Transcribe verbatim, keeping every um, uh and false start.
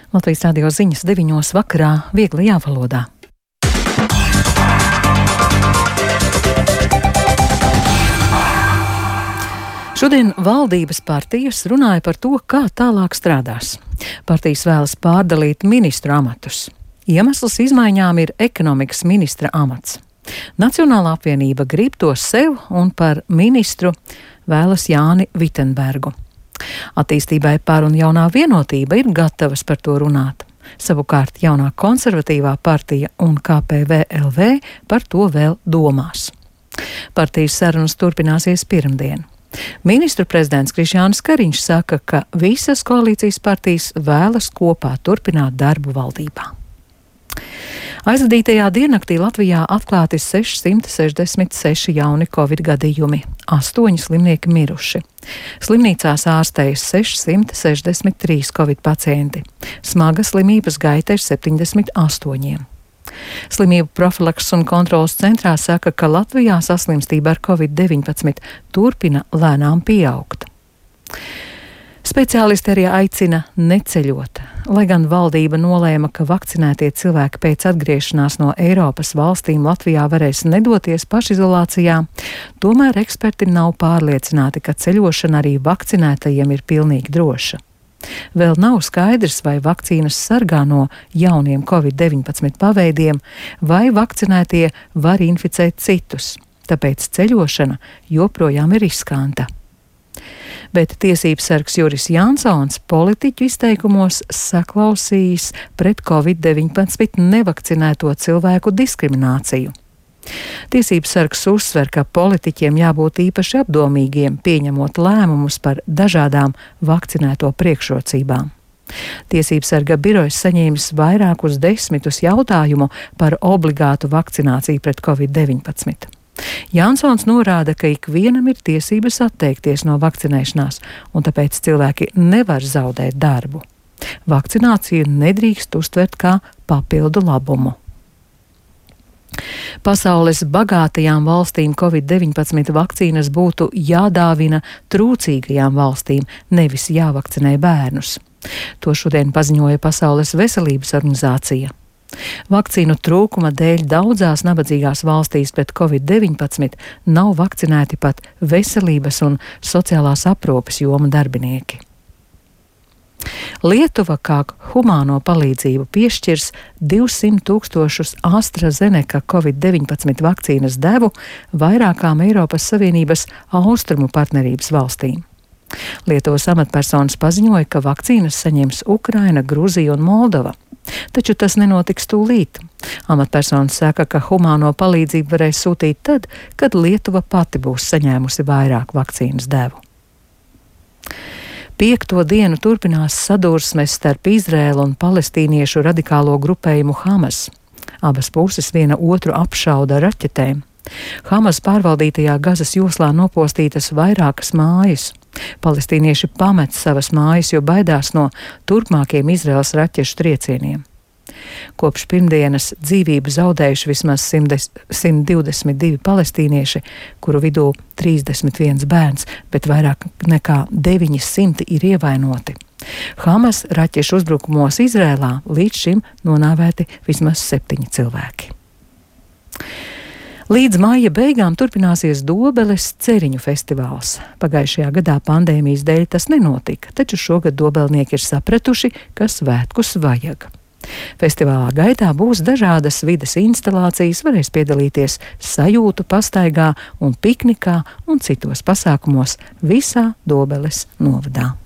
Latvijas radio ziņas deviņos vakarā vieglajā valodā. Šodien valdības partijas runāja par to, kā tālāk strādās. Partijas vēlas pārdalīt ministru amatus. Iemesls izmaiņām ir ekonomikas ministra amats. Nacionālā apvienība grib to sev un par ministru vēlas Jāni Vitenbergu. Attīstībai par un jaunā vienotība ir gatavas par to runāt. Savukārt jaunā konservatīvā partija un K P V L V par to vēl domās. Partijas sarunas turpināsies pirmdien. Ministru prezidents Krišjānis Kariņš saka, ka visas koalīcijas partijas vēlas kopā turpināt darbu valdībā. Aizvadītajā diennaktī Latvijā atklāti sešsimt sešdesmit seši jauni covid gadījumi, astoņi slimnieki miruši. Slimnīcās ārstējas sešsimt sešdesmit trīs covid pacienti, smaga slimības gaita ir septiņdesmit astoņiem. Slimību profilakses un kontrolas centrā saka, ka Latvijā saslimstība ar covid deviņpadsmit turpina lēnām pieaugt. Speciālisti arī aicina neceļot. Lai gan valdība nolēma, ka vakcinētie cilvēki pēc atgriešanās no Eiropas valstīm Latvijā varēs nedoties pašizolācijā, tomēr eksperti nav pārliecināti, ka ceļošana arī vakcinētajiem ir pilnīgi droša. Vēl nav skaidrs, vai vakcīnas sargā no jauniem covid deviņpadsmit paveidiem, vai vakcinētie var inficēt citus, tāpēc ceļošana joprojām ir riskanta. Bet tiesības sargs Juris Jansons politiķu izteikumos saklausījis pret covid deviņpadsmit nevakcinēto cilvēku diskrimināciju. Tiesības sargs uzsver, ka politiķiem jābūt īpaši apdomīgiem, pieņemot lēmumus par dažādām vakcinēto priekšrocībām. Tiesības sarga birojas saņēmis vairākus desmitus jautājumu par obligātu vakcināciju pret covid deviņpadsmit. Jansons norāda, ka ikvienam ir tiesības atteikties no vakcinēšanās, un tāpēc cilvēki nevar zaudēt darbu. Vakcināciju nedrīkst uztvert kā papildu labumu. Pasaules bagātajām valstīm covid deviņpadsmit vakcīnas būtu jādāvina trūcīgajām valstīm, nevis jāvakcinē bērnus. To šodien paziņoja Pasaules veselības organizācija. Vakcīnu trūkuma dēļ daudzās nabadzīgās valstīs pret covid deviņpadsmit nav vakcinēti pat veselības un sociālās aprūpes joma darbinieki. Lietuva kā humāno palīdzību piešķirs divsimt tūkstošus AstraZeneca covid deviņpadsmit vakcīnas devu vairākām Eiropas Savienības austrumu partnerības valstīm. Lietuvas amatpersonas paziņoja, ka vakcīnas saņems Ukraina, Gruzija un Moldova. Taču tas nenotiks tūlīt. Amatpersonas saka, ka humāno palīdzību varēs sūtīt tad, kad Lietuva pati būs saņēmusi vairāk vakcīnas devu. Piekto dienu turpinās sadursmes starp Izraēlu un palestīniešu radikālo grupējumu Hamas. Abas puses viena otru apšauda ar raķetēm. Hamas pārvaldītajā Gazas joslā nopostītas vairākas mājas. Palestīnieši pamet savas mājas, jo baidās no turpmākiem Izraēlas raķešu triecieniem. Kopš pirmdienas dzīvību zaudējuši vismaz simt divdesmit divi palestīnieši, kuru vidū trīsdesmit viens bērns, bet vairāk nekā deviņi simti ir ievainoti. Hamas raķešu uzbrukumos Izrēlā līdz šim nonāvēti vismaz septiņi cilvēki. Līdz maija beigām turpināsies Dobeles ceriņu festivāls. Pagājušajā gadā pandēmijas dēļ tas nenotika, taču šogad dobelnieki ir sapratuši, ka svētkus vajag. Festivālā gaitā būs dažādas vides instalācijas, varēs piedalīties sajūtu pastaigā un piknikā un citos pasākumos visā Dobeles novadā.